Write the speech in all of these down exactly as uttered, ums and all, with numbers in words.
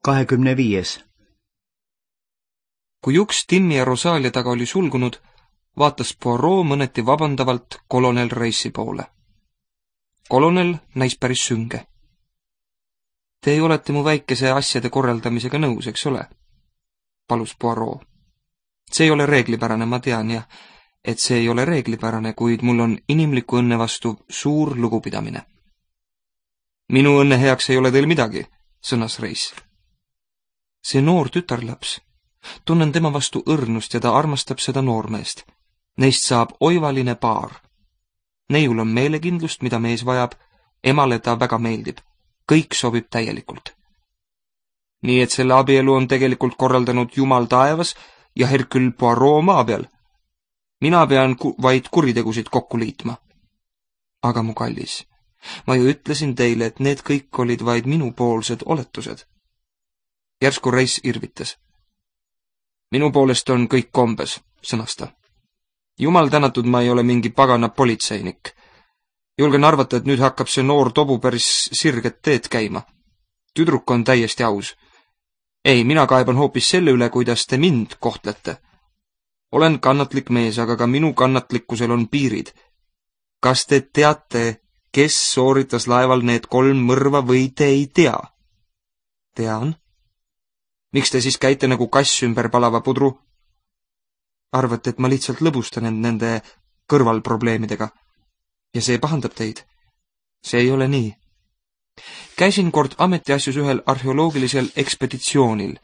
kahekümne viies. Kui uks Timmi ja Rosalia taga oli sulgunud, vaatas Poirot mõneti vabandavalt kolonel Reissi poole. Kolonel näis päris sünge. Te olete mu väikese asjade korraldamisega nõus, eks ole? Palus Poirot. See ei ole reeglipärane, ma tean, ja et see ei ole reeglipärane, kuid mul on inimliku õnne vastu suur lugupidamine. Minu õnne heaks ei ole teil midagi, sõnas Reiss. See noor tütarlaps. Tunnen tema vastu õrnust ja ta armastab seda noormeest. Neist saab oivaline paar. Neiul on meelekindlust, mida mees vajab, emale ta väga meeldib. Kõik sobib täielikult. Nii et selle abielu on tegelikult korraldanud Jumal taevas ja Hercule Poirot maa peal. Mina pean ku vaid kuritegusid kokku liitma. Aga mu kallis, ma ju ütlesin teile, et need kõik olid vaid minupoolsed oletused. Järsku Reiss irvitas. Minu poolest on kõik kombes, sõnas ta. Jumal tänatud, ma ei ole mingi pagana politseinik. Julgen arvata, et nüüd hakkab see noor tobu päris sirget teed käima. Tüdruk on täiesti aus. Ei, mina kaeban hoopis selle üle, kuidas te mind kohtlete. Olen kannatlik mees, aga ka minu kannatlikkusel on piirid. Kas te teate, kes sooritas laeval need kolm mõrva või te ei tea? Tean. Miks te siis käite nagu kass ümber palava pudru? Arvate, et ma lihtsalt lõbustan end nende kõrvalprobleemidega. Ja see pahandab teid. See ei ole nii. Käisin kord ametiasjus ühel arheoloogilisel ekspeditsioonil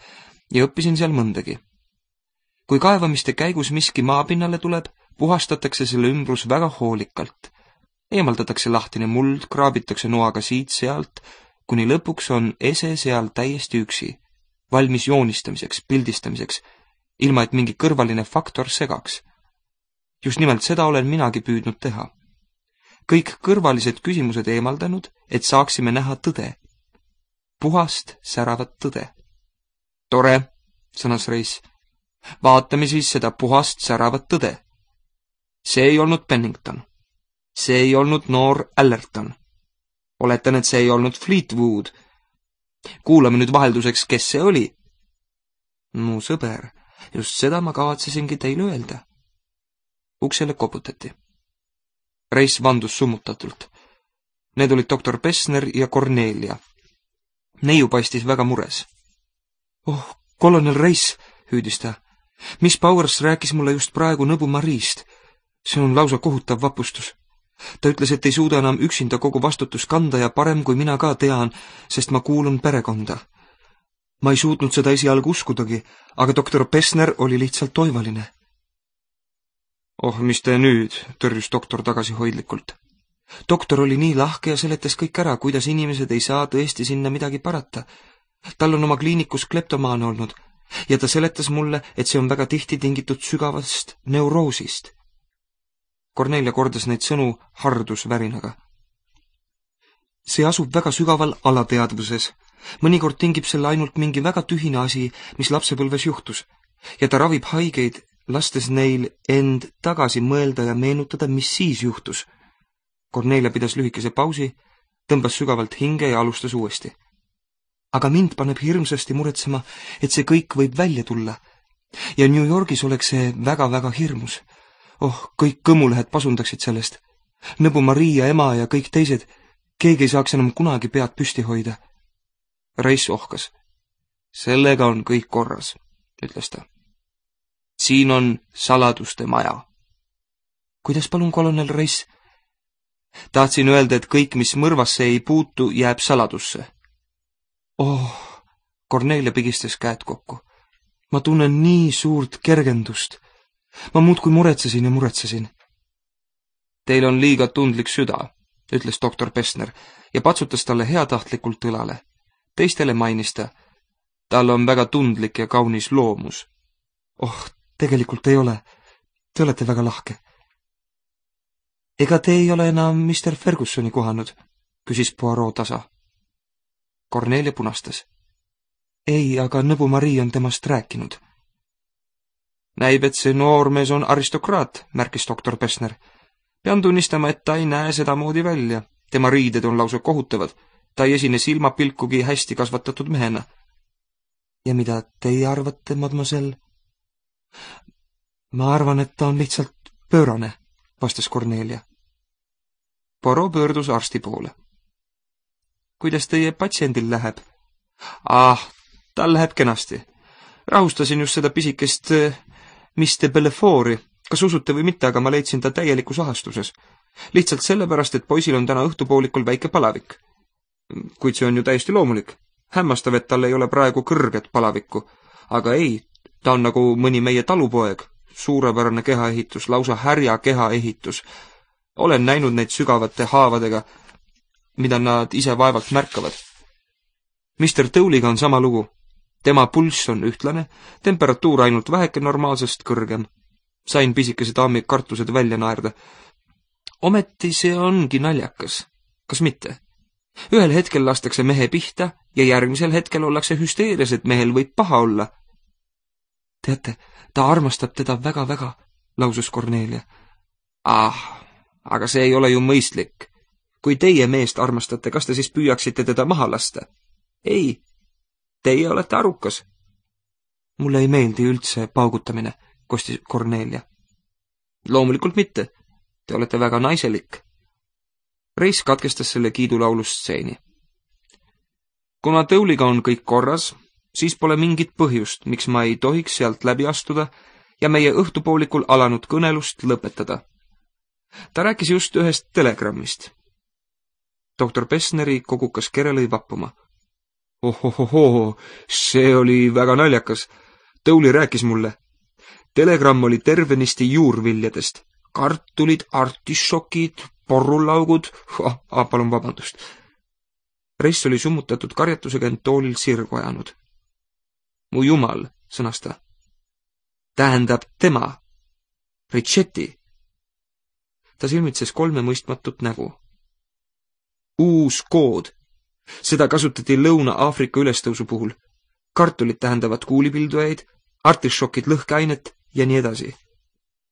ja õppisin seal mõndagi. Kui kaevamiste käigus miski maapinnale tuleb, puhastatakse selle ümbrus väga hoolikalt. Eemaldatakse lahtine muld, kraabitakse noaga siit-sealt, kuni lõpuks on ese seal täiesti üksi, valmis joonistamiseks, pildistamiseks, ilma et mingi kõrvaline faktor segaks. Just nimelt seda olen minagi püüdnud teha. Kõik kõrvalised küsimused eemaldanud, et saaksime näha tõde. Puhast säravat tõde. Tore, sõnas Reiss. Vaatame siis seda puhast säravat tõde. See ei olnud Pennington. See ei olnud noor Allerton. Oletan, et see ei olnud Fleetwood. Kuulame nüüd vahelduseks, kes see oli. Mu sõber, just seda ma kavatsesingi teile öelda. Uksele koputati. Reiss vandus summutatult. Need olid doktor Pessner ja Cornelia. Neiu paistis väga mures. Oh, kolonel Reiss, hüüdis ta. Miss Powers rääkis mulle just praegu Nõbu Mariist. See on lausa kohutav vapustus. Ta ütles, et ei suuda enam üksinda kogu vastutus kanda ja parem kui mina ka tean, sest ma kuulun perekonda. Ma ei suutnud seda esialgu uskudagi, aga doktor Pessner oli lihtsalt oivaline. Oh, mis te nüüd, tõrjus doktor tagasihoidlikult. Doktor oli nii lahke ja seletas kõik ära, kuidas inimesed ei saa tõesti sinna midagi parata. Tal on oma kliinikus kleptomaan olnud ja ta seletas mulle, et see on väga tihti tingitud sügavast neuroosist. Cornelia kordas neid sõnu hardusvärinaga. See asub väga sügaval alateadvuses. Mõnikord tingib selle ainult mingi väga tühine asi, mis lapsepõlves juhtus, ja ta ravib haigeid, lastes neil end tagasi mõelda ja meenutada, mis siis juhtus. Cornelia pidas lühikese pausi, tõmbas sügavalt hinge ja alustas uuesti. Aga mind paneb hirmsasti muretsema, et see kõik võib välja tulla. Ja New Yorgis oleks see väga-väga hirmus. Oh, kõik kõmulehed pasundaksid sellest. Nõbu Maria ema ja kõik teised, keegi ei saaks enam kunagi pead püsti hoida. Reiss ohkas. Sellega on kõik korras, ütles ta. Siin on saladuste maja. Kuidas palun, kolonel Reiss? Tahtsin öelda, et kõik, mis mõrvasse ei puutu, jääb saladusse. Oh, Cornelia pigistas käed kokku. Ma tunnen nii suurt kergendust. Ma muudkui muretsesin ja muretsesin. Teil on liiga tundlik süda, ütles doktor Pessner ja patsutas talle heatahtlikult õlale. Teistele mainis ta. Tal on väga tundlik ja kaunis loomus. Oh, tegelikult ei ole. Te olete väga lahke. Ega te ei ole enam mister Fergusoni kohanud, küsis Poirot tasa. Cornelia punastas. Ei, aga Nõbu Marii on temast rääkinud. Näib, et see noormees on aristokraat, märkis doktor Pessner. Pean tunnistama, et ta ei näe sedamoodi välja. Tema riided on lausa kohutavad. Ta ei esine silmapilkugi hästi kasvatatud mehena. Ja mida teie arvate, mademoiselle? Ma arvan, et ta on lihtsalt pöörane, vastas Cornelia. Poirot pöördus arsti poole. Kuidas teie patsiendil läheb? Ah, tal läheb kenasti. Rahustasin just seda pisikest Miss de Bellefort'i. Kas usute või mitte, aga ma leidsin ta täielikus ahastuses. Lihtsalt sellepärast, et poisil on täna õhtupoolikul väike palavik. Kuid see on ju täiesti loomulik. Hämmastav, et tal ei ole praegu kõrget palavikku. Aga ei, ta on nagu mõni meie talupoeg. Suurepärane kehaehitus, lausa härja kehaehitus. Olen näinud neid sügavate haavadega, mida nad ise vaevalt märkavad. mister Towliga on sama lugu. Tema pulss on ühtlane, temperatuur ainult väheke normaalsest kõrgem. Sain pisikese daami kartused välja naerda. Ometi see ongi naljakas. Kas mitte? Ühel hetkel lastakse mehe pihta ja järgmisel hetkel ollakse hüsteerias, et mehel võib paha olla. Teate, ta armastab teda väga-väga, lausus Cornelia. Ah, aga see ei ole ju mõistlik. Kui teie meest armastate, kas te siis püüaksite teda maha lasta? Ei, teie olete arukas. Mulle ei meeldi üldse paugutamine, kostis Cornelia. Loomulikult mitte. Te olete väga naiselik. Reis katkestas selle kiidulaulustseeni. Kuna Towliga on kõik korras, siis pole mingit põhjust, miks ma ei tohiks sealt läbi astuda ja meie õhtupoolikul alanud kõnelust lõpetada. Ta rääkis just ühest telegrammist. Doktor Pessneri kogukas kere lõi vappuma. Ohohoho, see oli väga naljakas. Towli rääkis mulle. Telegramm oli tervenisti juurviljadest. Kartulid, artišokid, porrulaugud, ah, ah, palun vabandust. Reis oli summutatud karjatusega end toolil sirgu ajanud. Mu jumal, sõnas ta. Tähendab tema. Richetti. Ta silmitses kolme mõistmatut nägu. Uus kood. Seda kasutati Lõuna-Aafrika ülestõusu puhul. Kartulid tähendavad kuulipildujaid, artišokid lõhkeainet ja nii edasi.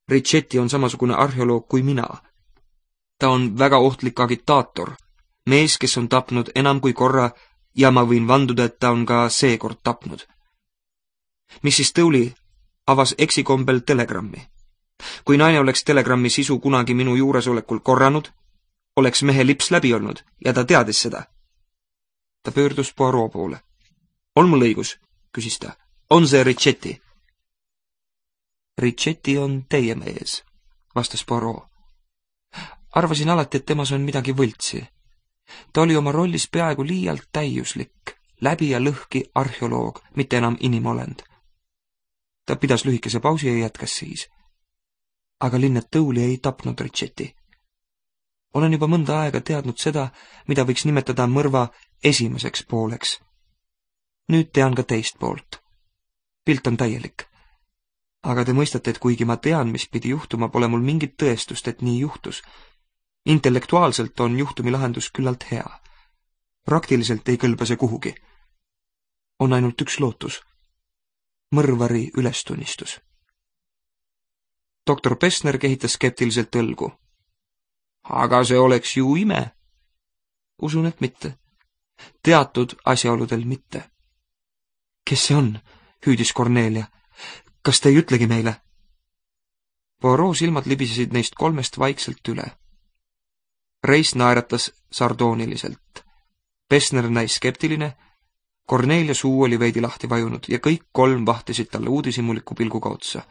Richetti on samasugune arheoloog kui mina. Ta on väga ohtlik agitaator, mees, kes on tapnud enam kui korra ja ma võin vanduda, et ta on ka seekord tapnud. missis Towli avas eksikombel telegrammi. Kui naine oleks telegrammi sisu kunagi minu juuresolekul korranud, oleks mehe lips läbi olnud ja ta teadis seda. Ta pöördus Poirot poole. On mul õigus, küsis ta. On see Richetti? Richetti on teie mees, vastas Poirot. Arvasin alati, et temas on midagi võltsi. Ta oli oma rollis peaaegu liialt täiuslik, läbi ja lõhki arheoloog, mitte enam inimolend. Ta pidas lühikese pausi ja jätkas siis. Aga linnet Towli ei tapnud Richetti. Olen juba mõnda aega teadnud seda, mida võiks nimetada mõrva esimeseks pooleks. Nüüd tean ka teist poolt. Pilt on täielik. Aga te mõistate, et kuigi ma tean, mis pidi juhtuma, pole mul mingit tõestust, et nii juhtus. Intellektuaalselt on juhtumi lahendus küllalt hea. Praktiliselt ei kõlba see kuhugi. On ainult üks lootus. Mõrvari ülestunnistus. Doktor Pessner kehitas skeptiliselt õlgu. Aga see oleks ju ime. Usun, et mitte. Teatud asjaoludel mitte. Kes see on? Hüüdis Cornelia. Kas te ei ütlegi meile? Poirot silmad libisesid neist kolmest vaikselt üle. Reis naeratas sardooniliselt. Pessner näis skeptiline, Cornelia suu oli veidi lahti vajunud ja kõik kolm vahtisid talle uudishimuliku pilguga otsa.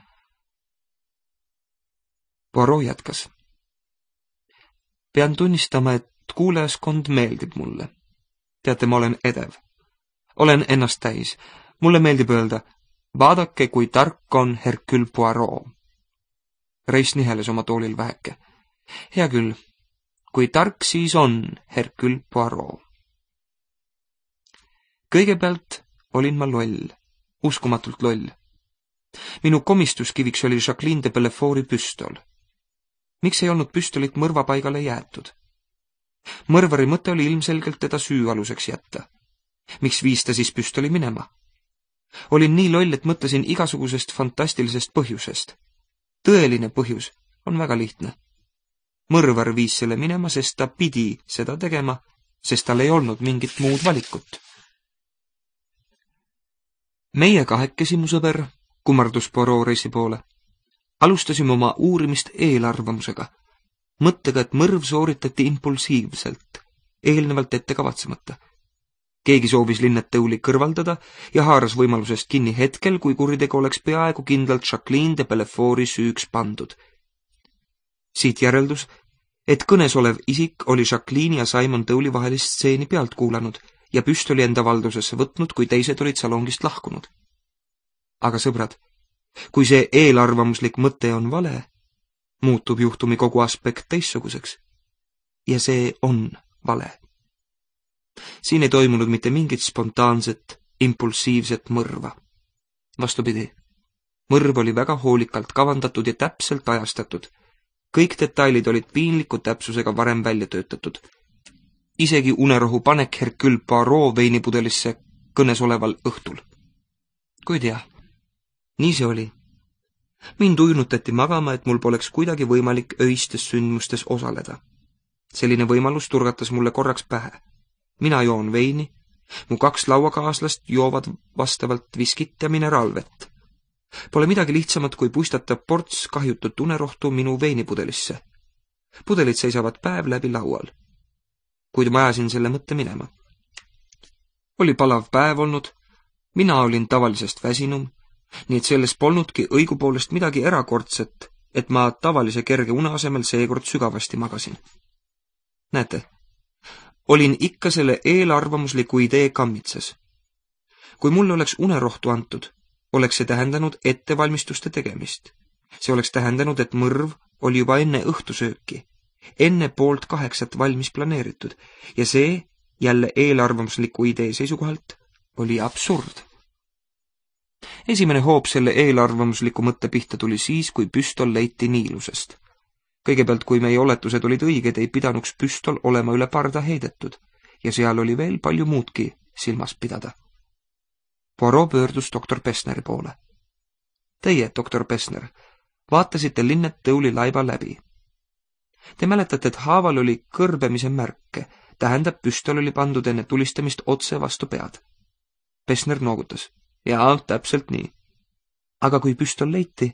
Poirot jätkas. Pean tunnistama, et kuulajaskond meeldib mulle. Teate, ma olen edev. Olen ennast täis. Mulle meeldib öelda, vaadake, kui tark on Hercule Poirot. Reis niheles oma toolil väheke. Hea küll, kui tark siis on Hercule Poirot. Kõigepealt olin ma loll, uskumatult loll. Minu komistuskiviks oli Jacqueline de Bellefort'i püstol. Miks ei olnud püstolit mõrvapaigale jäetud? Mõrvari mõte oli ilmselgelt teda süüaluseks jätta. Miks viis ta siis püstoli minema? Olin nii loll, et mõtlesin igasugusest fantastilisest põhjusest. Tõeline põhjus on väga lihtne. Mõrvar viis selle minema, sest ta pidi seda tegema, sest tal ei olnud mingit muud valikut. Meie kahekesi, mu sõber, kummardus Poirot Reisi poole. Alustasime oma uurimist eelarvamusega, mõttega, et mõrv sooritati impulsiivselt, eelnevalt ette kavatsemata. Keegi soovis Lynette Dowley kõrvaldada ja haaras võimalusest kinni hetkel, kui kuritegu oleks peaaegu kindlalt Jacqueline de Bellefort'i süüks pandud. Siit järeldus, et kõnes olev isik oli Jacqueline ja Simon Dowley vahelist stseeni pealt kuulanud ja püstoli enda valdusesse võtnud, kui teised olid salongist lahkunud. Aga sõbrad, kui see eelarvamuslik mõte on vale, muutub juhtumi kogu aspekt teissuguseks. Ja see on vale. Siin ei toimunud mitte mingit spontaanset, impulsiivset mõrva. Vastupidi, mõrv oli väga hoolikalt kavandatud ja täpselt ajastatud. Kõik detailid olid piinliku täpsusega varem välja töötatud. Isegi unerohu panek Hercule Poirot veinipudelisse kõnes oleval õhtul. Kuid jah, nii see oli. Mind ujunutati magama, et mul poleks kuidagi võimalik öistes sündmustes osaleda. Selline võimalus turgatas mulle korraks pähe. Mina joon veini, mu kaks lauakaaslast joovad vastavalt viskit ja mineraalvett. Pole midagi lihtsamat, kui puistata ports kahjutut unerohtu minu veinipudelisse. Pudelid seisavad päev läbi laual. Kuid ma ajasin selle mõtte minema. Oli palav päev olnud, mina olin tavalisest väsinum, nii et selles polnudki õigupoolest midagi erakordset, et ma tavalise kerge une asemel seekord sügavasti magasin. Näete, olin ikka selle eelarvamusliku idee kammitses. Kui mulle oleks unerohtu antud, oleks see tähendanud ettevalmistuste tegemist. See oleks tähendanud, et mõrv oli juba enne õhtusööki, enne poolt kaheksat valmis planeeritud ja see, jälle eelarvamusliku idee seisukohalt, oli absurd. Esimene hoob selle eelarvamusliku mõtte pihta tuli siis, kui püstol leiti Niilusest. Kõigepealt, kui meie oletused olid õiged, ei pidanuks püstol olema üle parda heidetud ja seal oli veel palju muudki silmas pidada. Poirot pöördus doktor Pessneri poole. Teie, doktor Pessner, vaatasite Lynette Dowley laiba läbi. Te mäletate, et haaval oli kõrbemise märke, tähendab, püstol oli pandud enne tulistamist otse vastu pead. Pessner noogutas. Jaa, täpselt nii. Aga kui püstol leiti,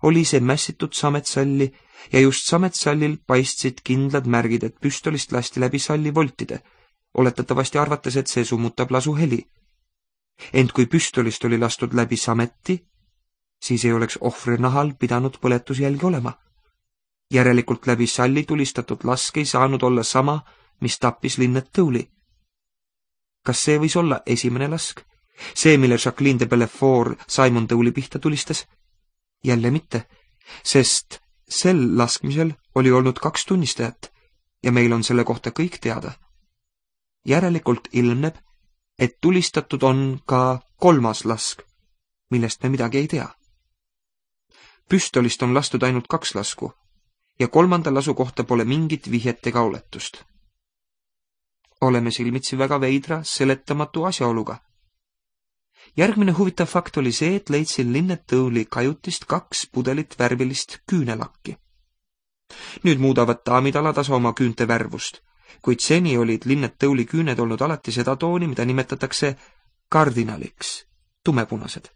oli see mässitud sametsalli ja just sametsallil paistsid kindlad märgid, et püstolist lasti läbi salli voltide, oletatavasti arvates, et see summutab lasu heli. Ent kui püstolist oli lastud läbi sameti, siis ei oleks ohvri nahal pidanud põletusjälgi olema. Järelikult läbi salli tulistatud lask ei saanud olla sama, mis tappis Lynette Dowley. Kas see võis olla esimene lask? See, mille Jacqueline de Bellefort Simon Dowley pihta tulistas? Jälle mitte, sest sel laskmisel oli olnud kaks tunnistajat ja meil on selle kohta kõik teada. Järelikult ilmneb, et tulistatud on ka kolmas lask, millest me midagi ei tea. Püstolist on lastud ainult kaks lasku ja kolmanda lasu kohta pole mingit vihjet ega oletust. Oleme silmitsi väga veidra, seletamatu asjaoluga. Järgmine huvitav fakt oli see, et leidsin Lynette Dowley kajutist kaks pudelit värvilist küünelakki. Nüüd muudavad daamid alatasa oma küünte värvust, kuid seni olid Lynette Dowley küüned olnud alati seda tooni, mida nimetatakse kardinaliks, tumepunased.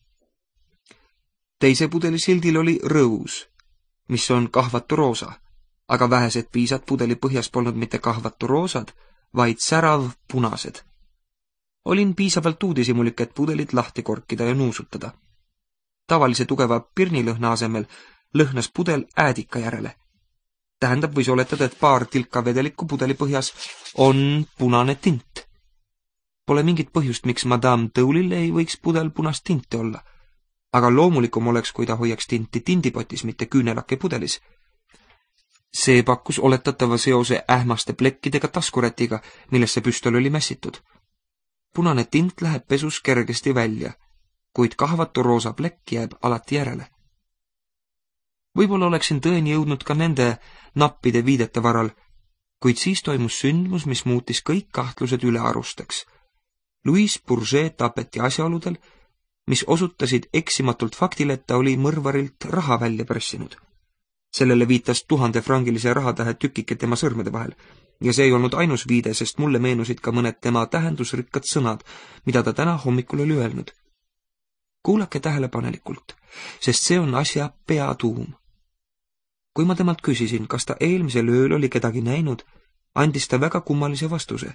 Teise pudeli sildil oli rõus, mis on kahvatu roosa, aga vähesed piisad pudeli põhjas polnud mitte kahvatu roosad, vaid särav punased. Olin piisavalt uudishimulik, et pudelit lahti korkida ja nuusutada. Tavalise tugeva pirnilõhna asemel lõhnas pudel äädika järele. Tähendab, võis oletada, et paar tilka vedelikku pudeli põhjas on punane tint. Pole mingit põhjust, miks Madame Dowley'l ei võiks pudel punast tinti olla, aga loomulikum oleks, kui ta hoiaks tinti tindipotis, mitte küünelake pudelis. See pakkus oletatava seose ähmaste plekkidega taskurätiga, millesse püstol oli mässitud. Punane tint läheb pesus kergesti välja, kuid kahvatu roosa plekk jääb alati järele. Võib-olla oleksin tõeni jõudnud ka nende nappide viidete varal, kuid siis toimus sündmus, mis muutis kõik kahtlused ülearusteks. Louise Bourget tapeti asjaoludel, mis osutasid eksimatult faktile, et ta oli mõrvarilt raha välja pressinud. Sellele viitas tuhandefrangilise rahatähe tükike tema sõrmede vahel. Ja see ei olnud ainus viide, sest mulle meenusid ka mõned tema tähendusrikkad sõnad, mida ta täna hommikul oli öelnud. kuulake tähelepanelikult, sest see on asja peatuum. Kui ma temalt küsisin, kas ta eelmisel ööl oli kedagi näinud, andis ta väga kummalise vastuse.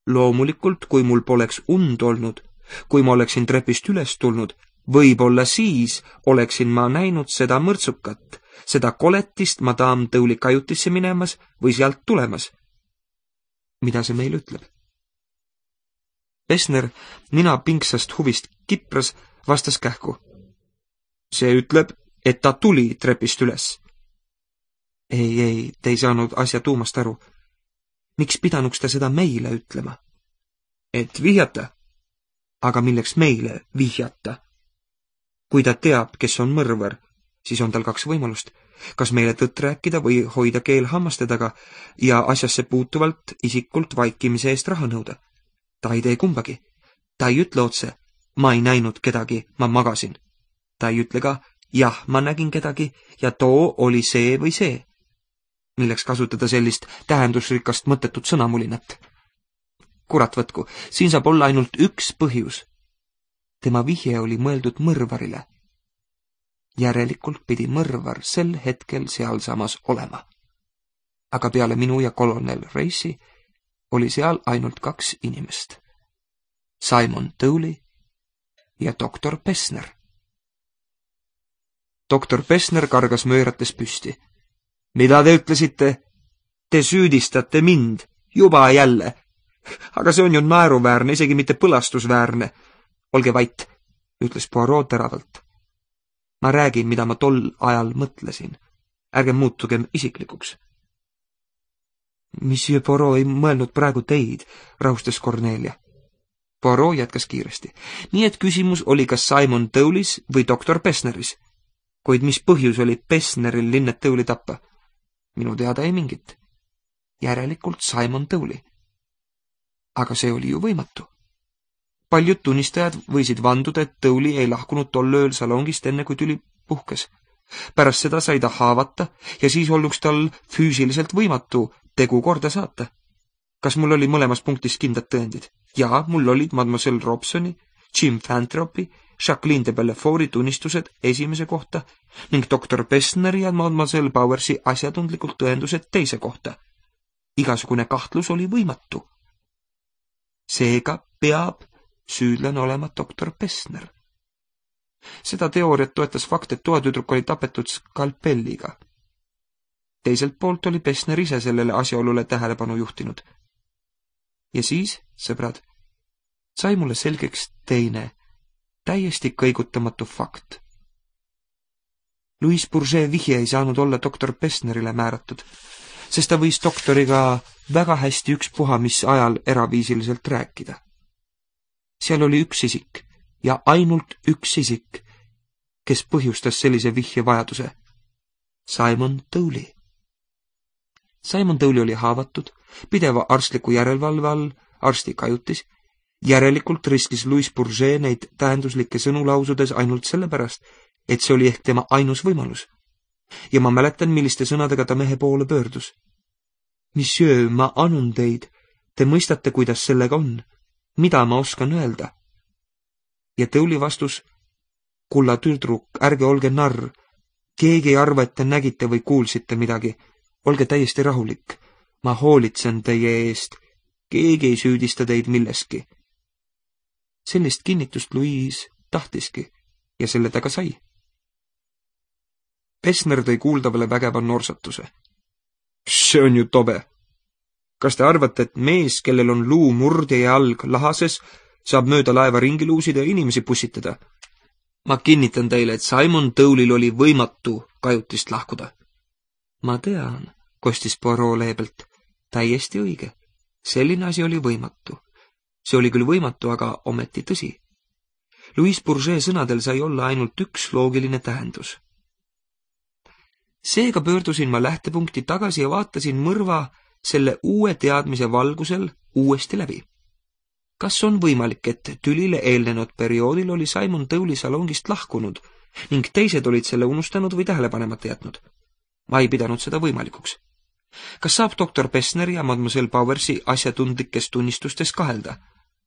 Loomulikult, kui mul poleks und olnud, kui ma oleksin trepist üles tulnud, võib-olla siis oleksin ma näinud seda mõrtsukat, seda koletist madame Tõuli kajutisse minemas või sealt tulemas. Mida see meil ütleb? Pessner nina pingsast huvist kipras, vastas kähku. See ütleb, et ta tuli trepist üles. Ei, ei, te ei saanud asja tuumast aru. Miks pidanuks ta seda meile ütlema? Et vihjata. Aga milleks meile vihjata? Kui ta teab, kes on mõrvar, siis on tal kaks võimalust. Kas meile tõtt rääkida või hoida keel hammaste taga ja asjasse puutuvalt isikult vaikimise eest raha nõuda. Ta ei tee kumbagi. Ta ei ütle otse, ma ei näinud kedagi, ma magasin. Ta ei ütle ka, jah, ma nägin kedagi ja too oli see või see. Milleks kasutada sellist tähendusrikast mõttetut sõnamulinat? Kurat võtku, siin saab olla ainult üks põhjus. Tema vihje oli mõeldud mõrvarile. Järelikult pidi mõrvar sel hetkel sealsamas olema. Aga peale minu ja kolonel Reisi oli seal ainult kaks inimest. Simon Tõuli ja doktor Pessner. Doktor Pessner kargas möörates püsti. Mida te ütlesite? Te süüdistate mind, juba jälle. Aga see on ju naeruväärne, isegi mitte põlastusväärne. Olge vait, ütles Poirot teravalt. Ma räägin, mida ma tol ajal mõtlesin. Ärge muutugem isiklikuks. Monsieur Poirot ei mõelnud praegu teid, rahustas Cornelia. Poirot jätkas kiiresti. Nii et küsimus oli kas Simon Tõulis või doktor Pessneris. Kuid mis põhjus oli Pessneril linnet Tõuli tappa? Minu teada ei mingit. Järelikult Simon Tõuli. Aga see oli ju võimatu. Paljud tunnistajad võisid vanduda, et Tõuli ei lahkunud tol ööl salongist enne, kui tüli puhkes. Pärast seda sai ta haavata ja siis olnuks tal füüsiliselt võimatu tegu korda saata. Kas mul oli mõlemas punktis kindlad tõendid? Jaa, mul olid mademoiselle Robsoni, Jim Fantropi, Jacqueline de Belleforti tunnistused esimese kohta ning doktor Pessneri ja mademoiselle Bowersi asjatundlikult tõendused teise kohta. Igasugune kahtlus oli võimatu. Seega peab süüdlane olema doktor Pessner. Seda teooriat toetas fakt, et toatüdruk oli tapetud skalpelliga. Teiselt poolt oli Pessner ise sellele asjaolule tähelepanu juhtinud. Ja siis, sõbrad, sai mulle selgeks teine, täiesti kõigutamatu fakt. Louis Bourget vihje ei saanud olla doktor Pessnerile määratud, sest ta võis doktoriga väga hästi ükspuha mis ajal eraviisiliselt rääkida. Seal oli üks isik ja ainult üks isik, kes põhjustas sellise vihje vajaduse. Simon Tõuli. Simon Tõuli oli haavatud, pideva arstliku järelevalve all, arsti kajutis, järelikult riskis Louis Bourget neid tähenduslikke sõnu lausudes ainult sellepärast, et see oli ehk tema ainus võimalus. Ja ma mäletan, milliste sõnadega ta mehe poole pöördus. Monsieur, ma anun teid, te mõistate, kuidas sellega on. Mida ma oskan öelda? Ja Tõuli vastus, kulla tüdruk, ärge olge narr. Keegi ei arva, et te nägite või kuulsite midagi. Olge täiesti rahulik. Ma hoolitsen teie eest. Keegi ei süüdista teid milleski. Sellist kinnitust Louise tahtiski ja selle ta ka sai. Pessner tõi kuuldavale vägeva norsatuse. See on ju tobe. Kas te arvate, et mees, kellel on luu murdja ja jalg lahases, saab mööda laeva ringi luusida ja inimesi pussitada? Ma kinnitan teile, et Simon Tõulil oli võimatu kajutist lahkuda. Ma tean, kostis Poirot leebelt. Täiesti õige. Selline asi oli võimatu. See oli küll võimatu, aga ometi tõsi. Louis Bourget sõnadel sai olla ainult üks loogiline tähendus. Seega pöördusin ma lähtepunkti tagasi ja vaatasin mõrva selle uue teadmise valgusel uuesti läbi. Kas on võimalik, et tülile eelnenud perioodil oli Simon Tõuli salongist lahkunud ning teised olid selle unustanud või tähelepanemata jätnud? Ma ei pidanud seda võimalikuks. Kas saab doktor Pessner ja mademoiselle Bowersi asjatundlikes tunnistustes kahelda?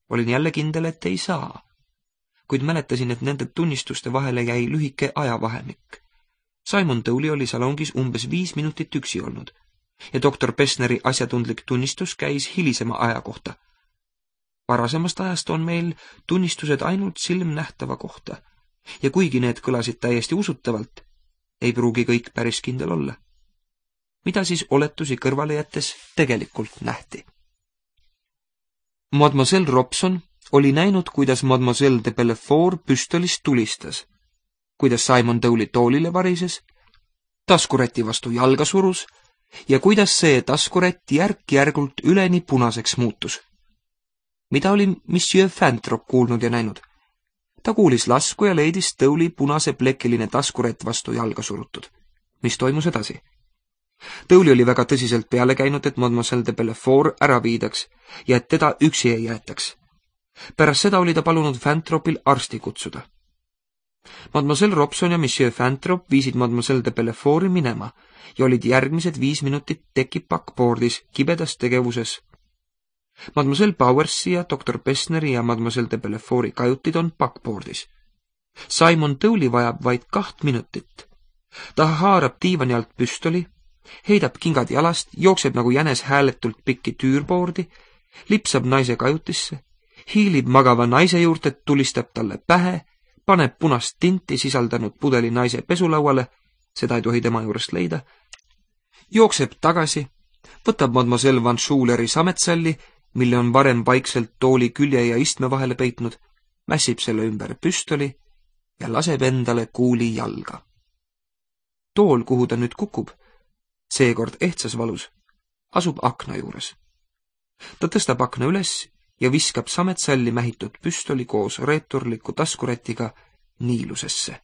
Olin jälle kindel, et ei saa. kuid mäletasin, et nende tunnistuste vahele jäi lühike ajavahemik. Simon Tolley oli salongis umbes viis minutit üksi olnud ja doktor Pessneri asjatundlik tunnistus käis hilisema aja kohta. Varasemast ajast on meil tunnistused ainult silmnähtava kohta ja kuigi need kõlasid täiesti usutavalt, ei pruugi kõik päris kindel olla. Mida siis oletusi kõrvale jättes tegelikult nähti? Mademoiselle Robson oli näinud, kuidas Mademoiselle de Belfort püstolist tulistas, kuidas Simon Tolley toolile varises, taskuräti vastu jalga surus ja kuidas see taskurätt järk-järgult üleni punaseks muutus. Mida oli Monsieur Fantrop kuulnud ja näinud? Ta kuulis lasku ja leidis Tolley punase plekiline taskurätt vastu jalga surutud. Mis toimus edasi? Tolley oli väga tõsiselt peale käinud, et Mademoiselle de Belfort ära viidaks ja et teda üksi ei jäetaks. Pärast seda oli ta palunud Fantropil arsti kutsuda. Mademoiselle Robson ja Monsieur Fantrop viisid Mademoiselle de Belforti minema ja olid järgmised viis minutit teki backboardis kibedas tegevuses. Mademoiselle Bowersi ja doktor Pessneri ja Mademoiselle de Belforti kajutid on backboardis. Simon Tolley vajab vaid kaht minutit. Ta haarab diivani alt püstoli, heidab kingad jalast, jookseb nagu jänes hääletult pikki tüürboordi, lipsab naise kajutisse, hiilib magava naise juurde, tulistab talle pähe, paneb punast tinti sisaldanud pudeli naise pesulauale, seda ei tohi tema juurest leida, jookseb tagasi, võtab Mademoiselle Van Schuleri sametsalli, mille on varem vaikselt tooli külje ja istme vahele peitnud, mässib selle ümber püstoli ja laseb endale kuuli jalga. Tool, kuhu ta nüüd kukub, seekord ehtsas valus, asub akna juures. Ta tõstab akna üles ja viskab sametsalli mähitud püstoli koos reeturliku taskurätiga niilusesse.